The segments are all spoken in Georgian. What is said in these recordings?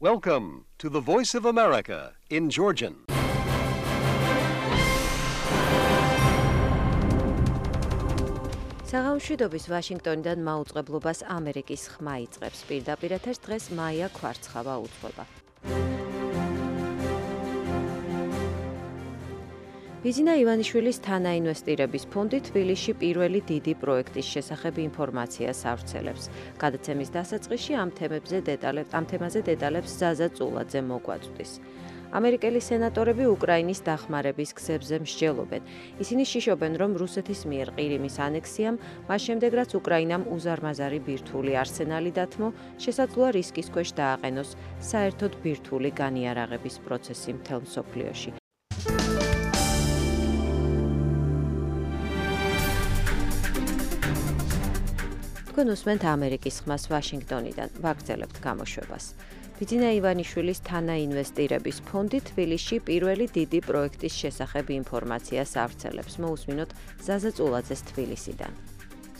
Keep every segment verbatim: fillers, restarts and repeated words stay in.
Welcome to the Voice of America in Georgian. საღამოშვიდობის ვაშინგტონიდან მაუწყებლობას ამერიკის ხმა იწყებს. პირდაპირ ეთერს დღეს მაია ქვარცხავა უძღვება. ბიზინა ივანიშვილის თანაინვესტირების ფონდი თბილისში პირველი დიდი პროექტის შესახებ ინფორმაციას ავრცელებს. გადაცემის დასაწყისში ამ თემებზე დეტალებს ამ თემაზე დეტალებს ზაზა წულაძე მოგვაწვდის. ამერიკელი სენატორები უკრაინის დახმარების გზებზე მსჯელობენ. ისინი შიშობენ, რომ რუსეთის მიერ ყირიმის ანექსიამ, მას შემდეგ რაც უკრაინამ უზარმაზარი ბირთვული არსენალი დათმო, შესაძლოა რისკის ქვეშ დააყენოს საერთოდ ბირთვული განიარაღების პროცესი მთელ მსოფლიოში. თქვენ უსმენთ ამერიკის ხმას ვაშინგტონიდან, ვაგრძელებთ გამოშვებას. ბიძინა ივანიშვილის თანაინვესტირების ფონდი თბილისში პირველი დიდი პროექტის შესახებ ინფორმაციას ავრცელებს. მოусმინოთ ზაზა წულაძეს თბილისიდან.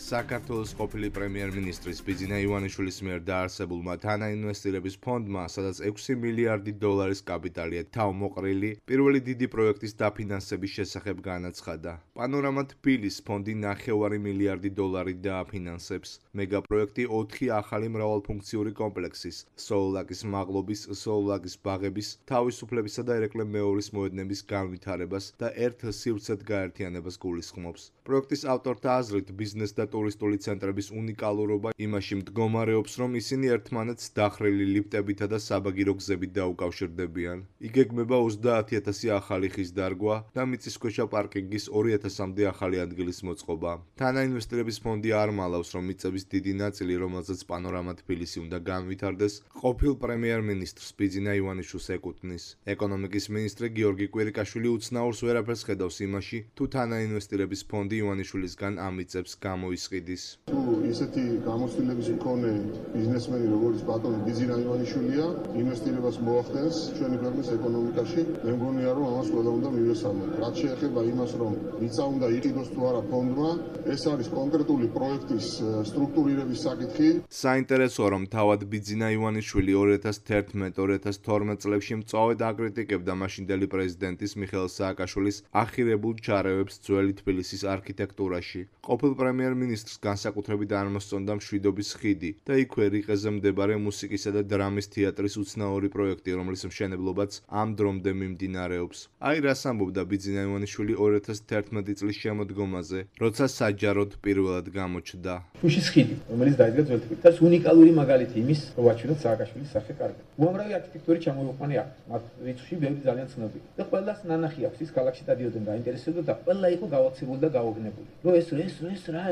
საქართველოს ყოფილი პრემიერ-მინისტრის ბიძინა ივანიშვილის მიერ დაარსებულმა თანაინვესტირების ფონდმა, სადაც ექვსი მილიარდი დოლარის კაპიტალია თავმოყრილი, პირველი დიდი პროექტის დაფინანსების შესახებ განაცხადა. პანორამა თბილის ფონდი ნახევარი მილიარდი დოლარი დააფინანსებს. მეგაპროექტი ოთხი ახალი მრავალფუნქციური კომპლექსის, სოულაკის მაღლობის, სოულაკის ბაღების, თავისუფლებისა და ერეკლე მეორის მოედნების განვითარებას და ერთ სივრცედ გაერთიანებას გულისხმობს. პროექტის ავტორთა აზრით, ბიზნეს და ტურისტული ცენტრების უნიკალურობა იმაში მდგომარეობს, რომ ისინი ერთმანეთს დახრილი ლიფტებითა და საბაგირო გზებით დაუკავშირდებიან. იგეგმება ოცდაათი ათასი ახალი ხის დარგვა და მიწისქვეშა პარკინგის ორი ათასამდე ახალი ადგილის მოწყობა. თანაინვესტირების ფონდი არ მალავს, რომ მიწების დიდი ნაწილი, რომელზეც პანორამა თბილისი უნდა განვითარდეს, ყოფილ პრემიერ-მინისტრს ბიძინა ივანიშვილს ეკუთვნის. ეკონომიკის მინისტრი გიორგი კვირიკაშვილი უცნაურს ვერაფერს ხედავს იმაში, თუ თანაინვესტირების ფონდი ივანიშვილისგან ამ მიწებს გამოისყიდის. თუ ისეთი გამოცდილების მქონე ბიზნესმენი როგორც ბატონი ბიძინა ივანიშვილია ინვესტირებას მოახდენს ჩვენი ქვეყნის ეკონომიკაში, მე მგონია რომ ამას ყველა უნდა მივესალმოთ. რაც შეეხება იმას, რომ მიწა უნდა იყიდოს თუ არა ფონდმა, ეს არის კონკრეტული პროექტის სტრუქტურირების საკითხი. საინტერესოა, რომ თავად ბიძინა ივანიშვილი ორი ათას თერთმეტ ორი ათას თორმეტ წლებში მწვავედ აკრიტიკებდა მაშინდელი პრეზიდენტის მიხეილ სააკაშვილის ახირებულ ჩარევებს ძველი თბილისის არქიტექტურაში. ყოფილ პრემიერ-მინისტრს განსაკუთრებით არ მოსწონდა მშვიდობის ხიდი და იქვე რიყეზე მდებარე მუსიკისა და დრამის თეატრის უცნაური პროექტი, რომლის მშენებლობაც ამ დრომდე მიმდინარეობს. აი რას ამბობდა ბიძინა ივანიშვილი ორი ათას თერთმეტი წლის შემოდგომაზე, როცა საჯაროდ პირველად გამოჩნდა. შუშის ხიდი, რომელიც დაიდგა ძველ თბილისში. ეს უნიკალური მაგალითი იმის, რომ ვაჩვენოთ სააკაშვილის სახე კარგად. უამრავი არქიტექტურის ჩამოიყვანა აქვს, მათ რიცხვში ბევრი ძალიან ცნობილი. და ყველას ნანახი აქვს, ის ქალაქში დადიოდნენ გაინტერესებდა და ყველა იყო გავაცებული და გაუგნებული. რომ ეს ეს ეს რა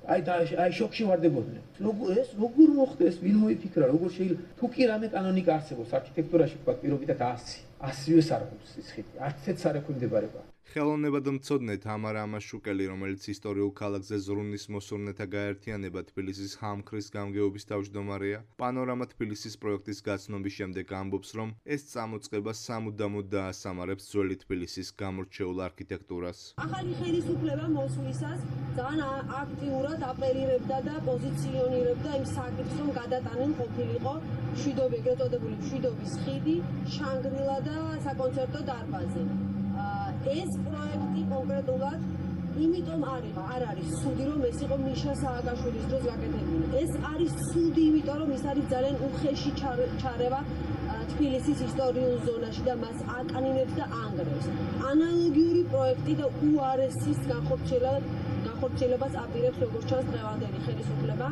აი და აი შოქში ვარდებოდნენ. როგორ ეს როგორ მოხდა ეს, ვინ მოიფიქრა, როგორ შეიძლება თუ კი რამე კანონიკა არსებობს არქიტექტურაში, თქვა პირობითად ასი. ასივე სარგულს ის ხიდი. არცეთ არ ექვემდებარება. ხელოვნებად მცოდნე თამარა ამაშუკელი, რომელიც ისტორიულ ქალაქზე ზრუნის მოსურნეთა გაერთიანება თბილისის ჰამქრის გამგეობის თავმჯდომარეა, პანორამა თბილისის პროექტის გაცნობის შემდეგ ამბობს, რომ ეს წამოწყება სამუდამოდ დაასამარებს ძველი თბილისის გამორჩეულ არქიტექტურას. ახალი ხელისუფლება მოსვლისას ძალიან აქტიურად აპელირებდა და პოზიციონირებდა იმ საკითხს, რომ გადატანენ ყოფილიყო მშვიდობი, ეგრეთ წოდებული მშვიდობის ხიდი, შანგრილა და საკონცერტო დარბაზი. ეს პროექტი კონკრეტულად იმიტომ არის, არ არის სუდი, რომ ეს იყო მიშა სააკაშვილის დროს გაკეთებული. ეს არის სუდი, იმიტომ რომ ის არის ძალიან უხეში ჩარევა თბილისის ისტორიულ ზონაში და მას აკანინებს და ანგრევს. ანალოგიური პროექტი და უარესის განხორციელებას აპირებს როგორც ჩანს დღევანდელი ხელისუფლება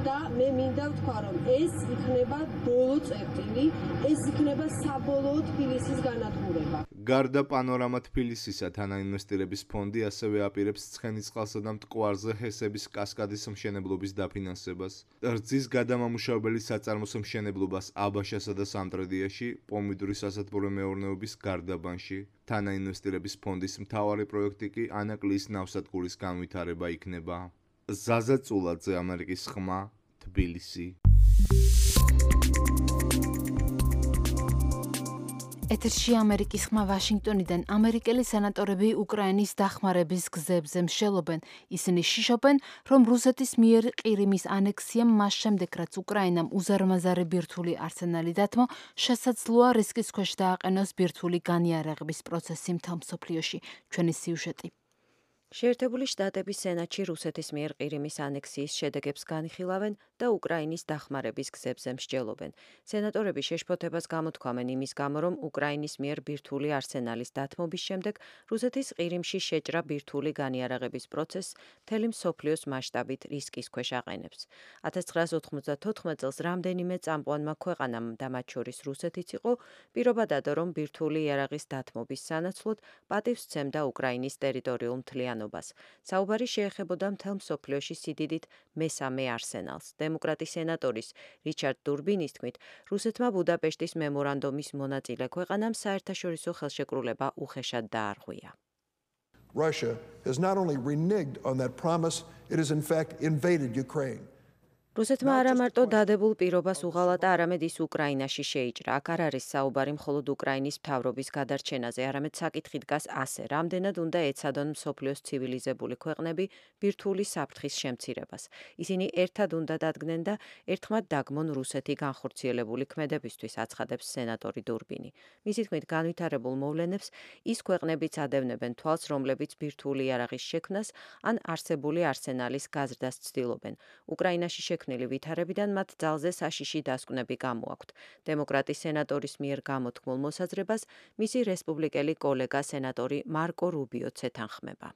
და მე მინდა ვთქვა, რომ ეს იქნება ბოლო წერტილი, ეს იქნება საბოლოო თბილისის განადგურება. გარდა პანორამა თბილისისა, თანაინვესტირების ფონდი ასევე აპირებს ცხენისწყალსა და მტკვარზე ჰესების კასკადის მშენებლობის დაფინანსებას, რძის გადამამუშავებელი საწარმოს მშენებლობას აბაშასა და სამტრედიაში, პომიდურის სასათბურე მეურნეობის გარდაბანში. თანაინვესტირების ფონდის მთავარი პროექტი კი ანაკლიის ნავსადგურის განვითარება იქნება. ზაზა წულაძე, ამერიკის ხმა, თბილისი. ეთერში ამერიკის ხმა ვაშინგტონიდან ამერიკელი სენატორები უკრაინის დახმარების გზებზე მსჯელობენ. ისინი შიშობენ, რომ რუსეთის მიერ ყირიმის ანექსიამ მას შემდეგ, რაც უკრაინამ უზარმაზარი ბირთვული არსენალი დათმო, შესაძლოა რისკის ქვეშ დააყენოს ბირთვული განიარაღების პროცესი მთელ მსოფლიოში. ჩვენი სიუჟეტი. შეერთებული შტატების სენატში რუსეთის მიერ ყირიმის ანექსიის შედეგებს განიხილავენ და უკრაინის დახმარების გზებზე მსჯელობენ. სენატორები შეშფოთებას გამოთქვამენ იმის გამო, რომ უკრაინის მიერ ბირთვული არსენალის დათმობის შემდეგ რუსეთის ყირიმში შეჭრა ბირთვული განიარაღების პროცესს მთელი მსოფლიოს მასშტაბით რისკის ქვეშ აყენებს. ათას ცხრაას ოთხმოცდათოთხმეტ წელს რამდენიმე წამყვანმა ქვეყანამ და მათ შორის რუსეთიც იყო პირობა დადო, რომ ბირთვული იარაღის დათმობის სანაცვლოდ პატივს სცემდა უკრაინის ტერიტორიულ მთლიანობას. საუბარი შეეხებოდა მთელ მსოფლიოში სიდიდით მესამე არსენალს. დემოკრატი სენატორის რიჩარდ დურბინის თქმით, რუსეთმა ბუდაპეშტის მემორანდუმის მონაწილე ქვეყანამ საერთაშორისო ხელშეკრულება უხეშად დაარღვია. Russia has not only reneged on that promise, it has in fact invaded Ukraine. რუსეთმა არა მარტო დადებულ პირობას უღალატა, არამედ ის უკრაინაში შეიჭრა. აქ არ არის საუბარი მხოლოდ უკრაინის მთავრობის გადარჩენაზე, არამედ საკითხი დგას ასე, რამდენად უნდა ეცადონ მსოფლიოს ცივილიზებული ქვეყნები ბირთვული საფრთხის შემცირებას. ისინი ერთად უნდა დადგნენ და ერთხმად დაგმონ რუსეთი განხორციელებული ქმედებისთვის, აცხადებს სენატორი დურბინი. მისი თქმით, განვითარებულ მოვლენებს ის ქვეყნებიც ადევნებენ თვალს, რომლებიც ბირთვული იარაღის შექმნას ან არსებული არსენალის გაზრდას ცდილობენ. უკრაინაში შექმნილი ვითარებიდან მათ ძალზე საშიში დასკვნები გამოაქვთ. დემოკრატი სენატორის მიერ გამოთქმულ მოსაზრებას მისი რესპუბლიკელი კოლეგა სენატორი მარკო რუბიოც ეთანხმება.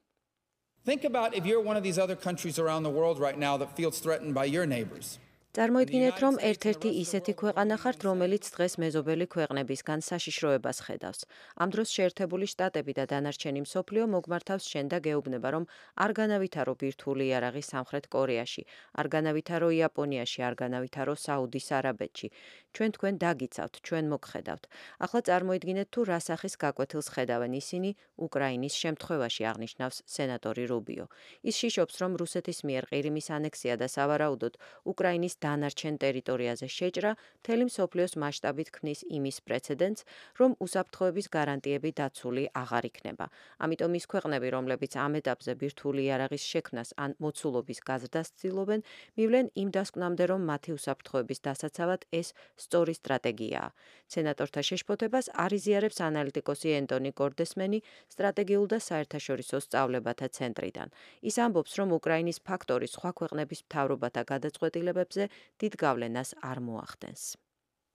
Think about if you're one of these other countries around the world right now that feels threatened by your neighbors. წარმოიდგინეთ, რომ ერთ-ერთი ისეთი ქვეყანა ხართ, რომელიც დღეს მეზობელი ქვეყნებისგან საშიშროებას ხედავს. ამ დროს შეერთებული შტატები და დანარჩენი მსოფლიო მოგმართავს შენ და გეუბნება, რომ არ განავითარო ბირთვული იარაღი სამხრეთ კორეაში, არ განავითარო იაპონიაში, არ განავითარო საუდის არაბეთში. ჩვენ თქვენ დაგიცავთ, ჩვენ მოგხედავთ. ახლა წარმოიდგინეთ, თუ რა სახის გაკვეთილს ხედავენ ისინი უკრაინის შემთხვევაში, აღნიშნავს სენატორი რუბიო. ის შიშობს, რომ რუსეთის მიერ ყირიმის ანექსია და სავარაუდოდ უკრაინის დანარჩენ ტერიტორიაზე შეჭრა მთელი მსოფლიოს მასშტაბით ქმნის იმის პრეცედენტს, რომ უსაფრთხოების გარანტიები დაცული აღარ იქნება. ამიტომ ის ქვეყნები, რომლებიც ამ ეტაპზე ბირთვული იარაღის შექმნას ან მოცულობის გაზრდას ცდილობენ, მივლენ იმ დასკვნამდე, რომ მათი უსაფრთხოების დასაცავად ეს სწორი სტრატეგიაა. სენატორთა შეშფოთებას არ იზიარებს ანალიტიკოსი ენტონი გორდესმენი სტრატეგიულ და საერთაშორისო სწავლებათა ცენტრიდან. ის ამბობს, რომ უკრაინის ფაქტორი სხვა ქვეყნების მთავრობათა გადაწყვეტილებებზე დიდ გავლენას არ მოახდენს.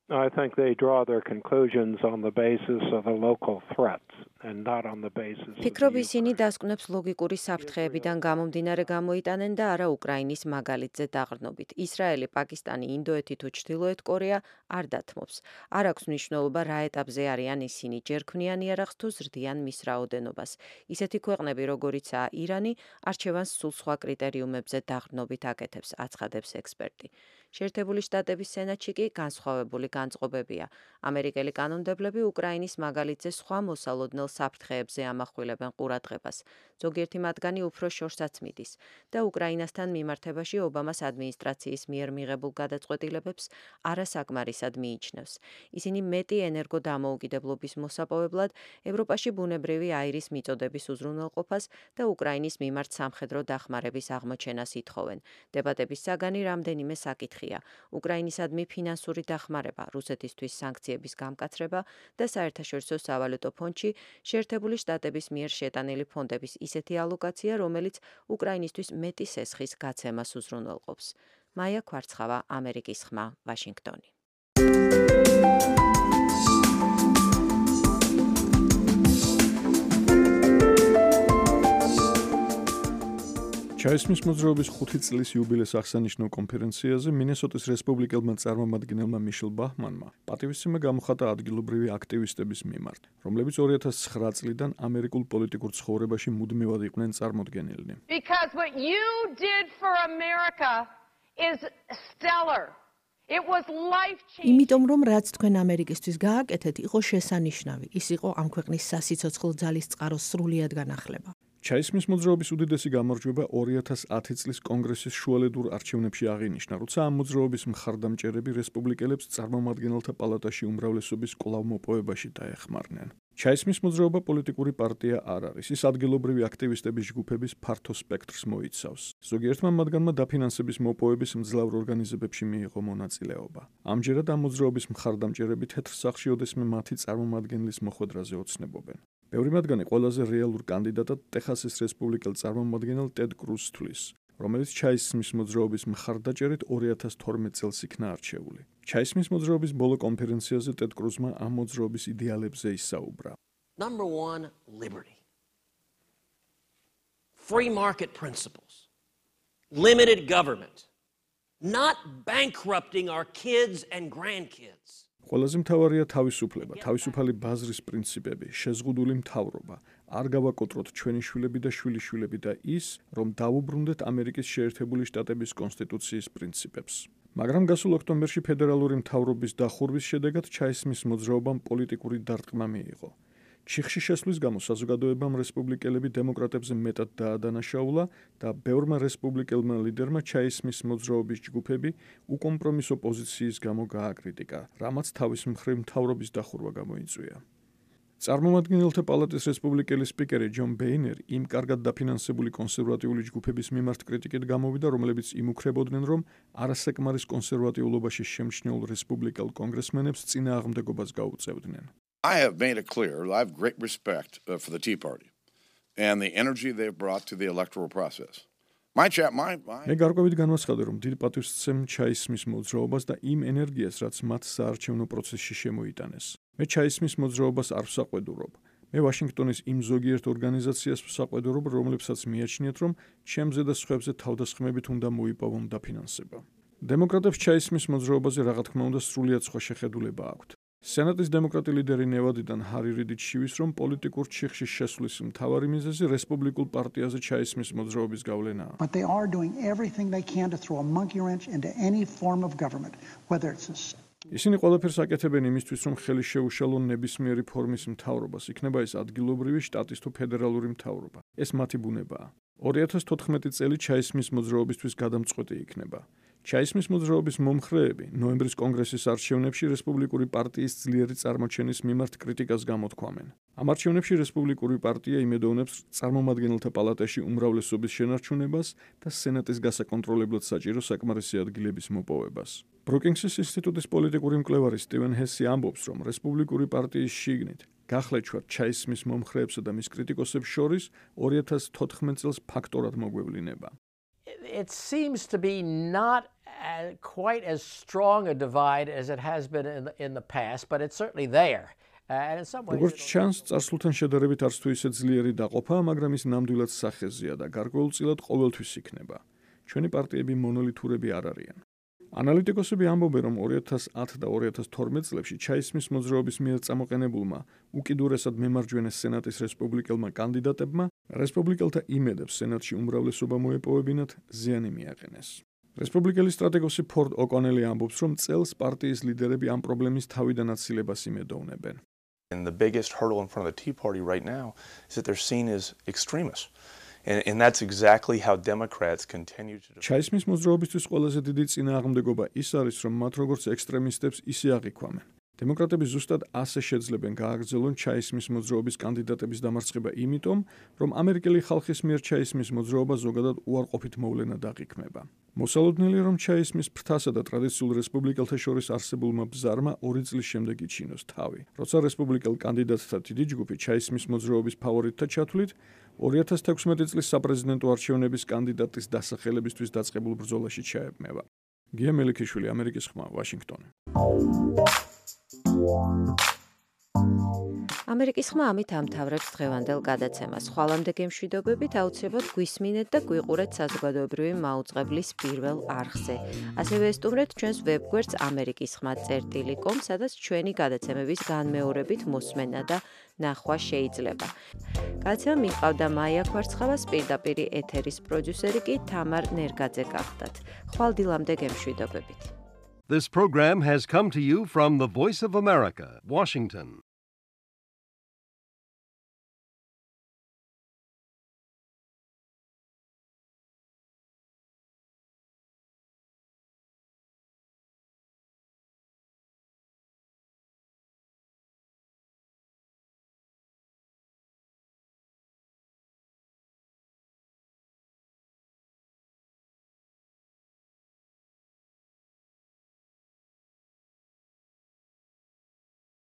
I think they draw their conclusions on the basis of the local threats and not on the basis of ფიქრობ ისინი დასკვნებს ლოგიკური საფრთხეებიდან გამომდინარე გამოიტანენ და არა უკრაინის მაგალითზე დაყრდნობით. ისრაელი, პაკისტანი, ინდოეთი თუ ჩრდილოეთ კორეა არ დათმობს. არ აქვს მნიშვნელობა რა ეტაპზე არიან ისინი, ჯერ ქმნიან იარაღს თუ ზრდიან მის რაოდენობას. ისეთი ქვეყნები, როგორიცაა ირანი, არჩევანს სულ სხვა კრიტერიუმებზე დაყრდნობით აკეთებს, აცხადებს ექსპერტი. შეერთებული შტატების სენატში კი განსხვავებული განწყობებია. ამერიკელი კანონმდებლები უკრაინის მაგალითზე სხვა მოსალოდნელ საფრთხეებზე ამახვილებენ ყურადღებას. ზოგიერთი მათგანი უფრო შორსაც მიდის და უკრაინასთან მიმართებაში ობამას ადმინისტრაციის მიერ მიღებულ გადაწყვეტილებებს არასაკმარისად მიიჩნევს. ისინი მეტი ენერგო დამოუკიდებლობის მოსაპოვებლად ევროპაში ბუნებრივი აირის მიწოდების უზრუნველყოფას და უკრაინის მიმართ სამხედრო დახმარების აღმოჩენას ითხოვენ. დებატების საგანი რამდენიმე საკითხია: უკრაინისადმი ფინანსური დახმარება, რუსეთისთვის სანქციების გამკაცრება და საერთაშორისო სავალუტო ფონდში შეერთებული შტატების მიერ შეტანილი ფონდების ისეთი ალოკაცია, რომელიც უკრაინისთვის მეტი სესხის გაცემას უზრუნველყოფს. მაია ქვარცხავა, ამერიკის ხმა, ვაშინგტონი. ჩაისმის მოძრაობის ხუთი წლის იუბილეს აღსანიშნავ კონფერენციაზე მინესოტის რესპუბლიკელმა წარმომადგენელმა მიშელ ბაჰმანმა პატივისცემა გამოხატა ადგილობრივი აქტივისტების მიმართ, რომლებიც ორი ათას ცხრა წლიდან ამერიკულ პოლიტიკურ ცხოვრებაში მუდმივად იყვნენ წარმოდგენილნი. Because what you did for America is stellar. It was life-changing. იმიტომ რომ რაც თქვენ ამერიკისთვის გააკეთეთ, იყო შესანიშნავი. ის იყო ამ ქვეყნის სასიცოცხლო ძალის წყაროს სრულიად განახლება. ჩაისმის მოძრაობის უდიდესი გამარჯვება ორი ათას ათი წლის კონგრესის შუალედურ არჩევნებში აღინიშნა, როცა ამ მოძრაობის მხარდამჭერები რესპუბლიკელებს წარმომადგენელთა პალატაში უმრავლესობის კვლავ მოპოვებაში დაეხმარნენ. ჩაისმის მოძრაობა პოლიტიკური პარტია არ არის, ის ადგილობრივი აქტივისტების ჯგუფების ფართო სპექტრს მოიცავს. ზოგიერთმა მათგანმა დაფინანსების მოპოვების მძლავრ ორგანიზებებში მიიღო მონაწილეობა. ამჯერად ამ მოძრაობის მხარდამჭერები თეთრ სახლში ოდესმე მათი წარმომადგენლის მოხვედრაზე ოცნებობენ. ბევრი მათგანი ყველაზე რეალურ კანდიდატად ტეხასის რესპუბლიკელ წარმომადგენელ ტედ კრუზს თვლის, რომელიც ჩაისმის მოძრაობის მხარდაჭერით ორი ათას თორმეტ წელს იქნა არჩეული. ჩაისმის მოძრაობის ბოლო კონფერენციაზე ტედ კრუზმა ამ მოძრაობის იდეალებზე ისაუბრა. Number one, liberty. Free market principles. Limited government. Not bankrupting our kids and grandkids. ყველაზე მთავარია თავისუფლება, თავისუფალი ბაზრის პრინციპები, შეზღუდული მთავრობა, არ გავაკოტროთ ჩვენი შვილები და შვილიშვილები და ის, რომ დავუბრუნდეთ ამერიკის შეერთებული შტატების კონსტიტუციის პრინციპებს. მაგრამ გასულ ოქტომბერში ფედერალური მთავრობის დახურვის შედეგად ჩაისმის მოძრაობამ პოლიტიკური დარტყმა მიიღო. ჩიხში შესვლის გამო საზოგადოებამ რესპუბლიკელები დემოკრატებზე მეტად დაადანაშაულა და ბევრმა რესპუბლიკელმა ლიდერმა ჩაისმის მოძრაობის ჯგუფები უკომპრომისო პოზიციის გამო გააკრიტიკა, რამაც თავის მხრივ მთავრობის დახურვა გამოიწვია. წარმომადგენელთა პალატის რესპუბლიკელი სპიკერი ჯონ ბეინერი იმ კარგად დაფინანსებული კონსერვატიული ჯგუფების მიმართ კრიტიკით გამოვიდა, რომლებიც იმუქრებოდნენ, რომ არასაკმარის კონსერვატიულობაში შემჩნეულ რესპუბლიკელ კონგრესმენებს წინააღმდეგობას გაუწევდნენ. I have made it clear I have great respect uh, for the Tea Party and the energy they've brought to the electoral process. My chat, my, my... მე გარკვევით განვაცხადე, რომ დიდ პატივს ვცემ ჩაისმის მოძრაობას და იმ ენერგიას, რაც მათ საარჩევნო პროცესში შემოიტანეს. მე ჩაისმის მოძრაობას არ ვსაყვედურობ. მე ვაშინგტონის იმ ზოგიერთ ორგანიზაციას ვსაყვედურობ, რომლებსაც მიაჩნიათ, რომ ჩემზე და სხვებზე თავდასხმებით უნდა მოიპოვონ დაფინანსება. დემოკრატებს ჩაისმის მოძრაობაზე რა თქმა უნდა სრულიად სხვა შეხედულება აქვთ. სენატის დემოკრატი ლიდერი ნევადიდან ჰარი რიდი ჩივის, რომ პოლიტიკურ ჩიხში შესვლის მთავარი მიზეზი რესპუბლიკულ პარტიაზე ჩაისმის მოძრაობის გავლენაა. But they are doing everything they can to throw a monkey wrench into any form of government, whether it's a... ისინი ყველაფერს აკეთებენ იმისთვის, რომ ხელი შეუშალონ ნებისმიერი ფორმის მთავრობას, იქნება ეს ადგილობრივი, შტატის თუ ფედერალური მთავრობა. ეს მათი ბუნებაა. ორი ათას თოთხმეტი წელი ჩაისმის მოძრაობისთვის გადამწყვეტი იქნება. ჩაისმის მოძრაობის მომხრეები ნოემბრის კონგრესის არჩევნებში რესპუბლიკური პარტიის ძლიერი წარმოჩენის მიმართ კრიტიკას გამოთქვამენ. ამ არჩევნებში რესპუბლიკური პარტია იმედოვნებს წარმომადგენელთა პალატაში უმრავლესობის შენარჩუნებას და სენატის გასაკონტროლებლად საჭირო საკმარისი ადგილების მოპოვებას. ბრუკინგსის ინსტიტუტის პოლიტიკური მკვლევარი სტივენ ჰესი ამბობს, რომ რესპუბლიკური პარტიის შიგნით გახლეჩვარ ჩაისმის მომხრეებსა და მის კრიტიკოსებს შორის ორი ათას თოთხმეტ წელს ფაქტორად მოგვევლინება. It seems to be not uh, quite as strong a divide as it has been in the, in the past, but it's certainly there. Uh, and in some ways... როგორც ჩანს, წარსულთან შედარებით არც თუ ისე ძლიერი დაყოფაა, მაგრამ ის ნამდვილად სახეზეა და გარკვეულწილად ყოველთვის იქნება. ჩვენი პარტიები მონოლითურები არ არიან. ანალიტიკოსები ამბობენ, რომ ორი ათას ათ და ორი ათას თორმეტ წლებში ჩაისმის მოძრაობის მიერ წამოყენებულმა უკიდურესად მემარჯვენე სენატის რესპუბლიკელმა კანდიდატებმა რესპუბლიკელთა იმედებს სენატში უმრავლესობა მოეპოვებინათ ზიანი მიაყენეს. რესპუბლიკელი სტრატეგოსი ფორდ ოკონელი ამბობს, რომ წელს პარტიის ლიდერები ამ პრობლემის თავიდან აცილებას იმედოვნებენ. And the biggest hurdle in front of the Tea Party right now is that they're seen as extremists. And, and that's exactly how Democrats continue to... ჩაისმის მოძრაობისთვის ყველაზე დიდი წინააღმდეგობა ის არის, რომ მათ როგორც ექსტრემისტებს ისე აღიქვამენ. დემოკრატები ზუსტად ასე შეძლებენ გააგრძელონ ჩაისმის მოძრაობის კანდიდატების დამარცხება იმიტომ, რომ ამერიკელი ხალხის მიერ ჩაისმის მოძრაობა ზოგადად უარყოფით მოვლენად აღიქმება. მოსალოდნელია, რომ ჩაისმის ფრთასა და ტრადიციულ რესპუბლიკელთა შორის არსებულმა ბზარმა ორი წლის შემდეგ იჩინოს თავი. როცა რესპუბლიკელ კანდიდატთა დიდი ჯგუფი ჩაისმის მოძრაობის ფავორიტთა ჩათვლით, ორი ათას თექვსმეტი წლის საპრეზიდენტო არჩევნების კანდიდატის დასახელებისთვის დაწყებულ ბრძოლაში ჩაებმება. გია მელიქიშვილი, ამერიკის ხმა, ვაშინგტონი. ამერიკის ხმა ამით ამთავრებს დღევანდელ გადაცემას. ხვალამდე გემშვიდობებით აუცილებლად გვისმინეთ და გვიყურეთ საზოგადოებრივი მაუწყებლის პირველ არხზე. ასევე ესტუმრეთ ჩვენს ვებგვერდს ამერიკის ხმა წერტილი კომ, სადაც ჩვენი გადაცემების განმეორებით მოსმენა და ნახვა შეიძლება. გადაცემა მიჰყავდა მაია ქვარცხავას, პირდაპირ ეთერის პროდიუსერი კი თამარ ნერგაძე გახდათ. ხვალდილამდე გემშვიდობებით. This program has come to you from the Voice of America, Washington.